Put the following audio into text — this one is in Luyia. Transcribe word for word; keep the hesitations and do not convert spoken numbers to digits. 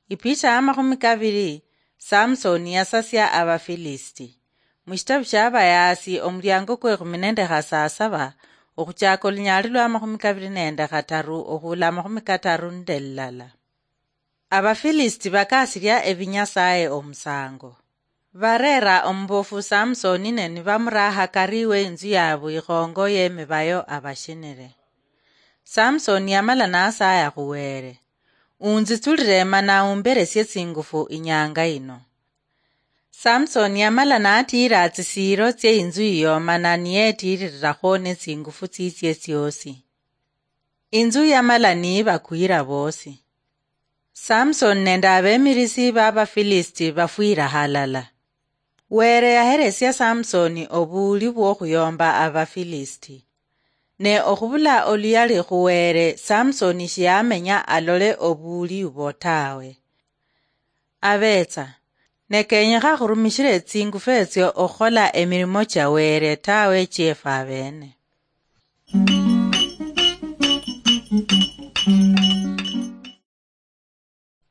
Ipicha ya makhumi kabiri. Samsoni yasasia Abafilisiti. Mushitabu shia Abayaasi, omuliango kwe khumi nende khasasaba, okhuchaka olunyaali lwa makhumi kabiri nende khataru okhuula makhumi kataru nende lilala. Abafilisiti bakasiria ebinyasaye omusango. Barera omubofu Samsoni ne nibamuraha kari we inzu yabu ikhongo yemibayo abashinire. Samsoni yamala nasaya khuwere, "Unzitsulire mana umberesie tsingufu inyanga ino." Samsoni yamala natiira tsisiiro tsie inzu iyo mana niyetiirirakho netsingufu tsitsie tsiosi. Inzu yamala niibakwira boosi. Samsoni nende abemirisi b'Abafilisiti bafwira halala. Were yaheresia Samsoni obuuli bw'okhuyomba Abafilisiti. Ne okhubula oluyali khu Were, Samsoni shiyamenya alole obuuli ubwo tawe. Abetsa, ne kenyekha khurumishire tsingufu etsio okhukhola emirimo chia Were tawe chiefu abene.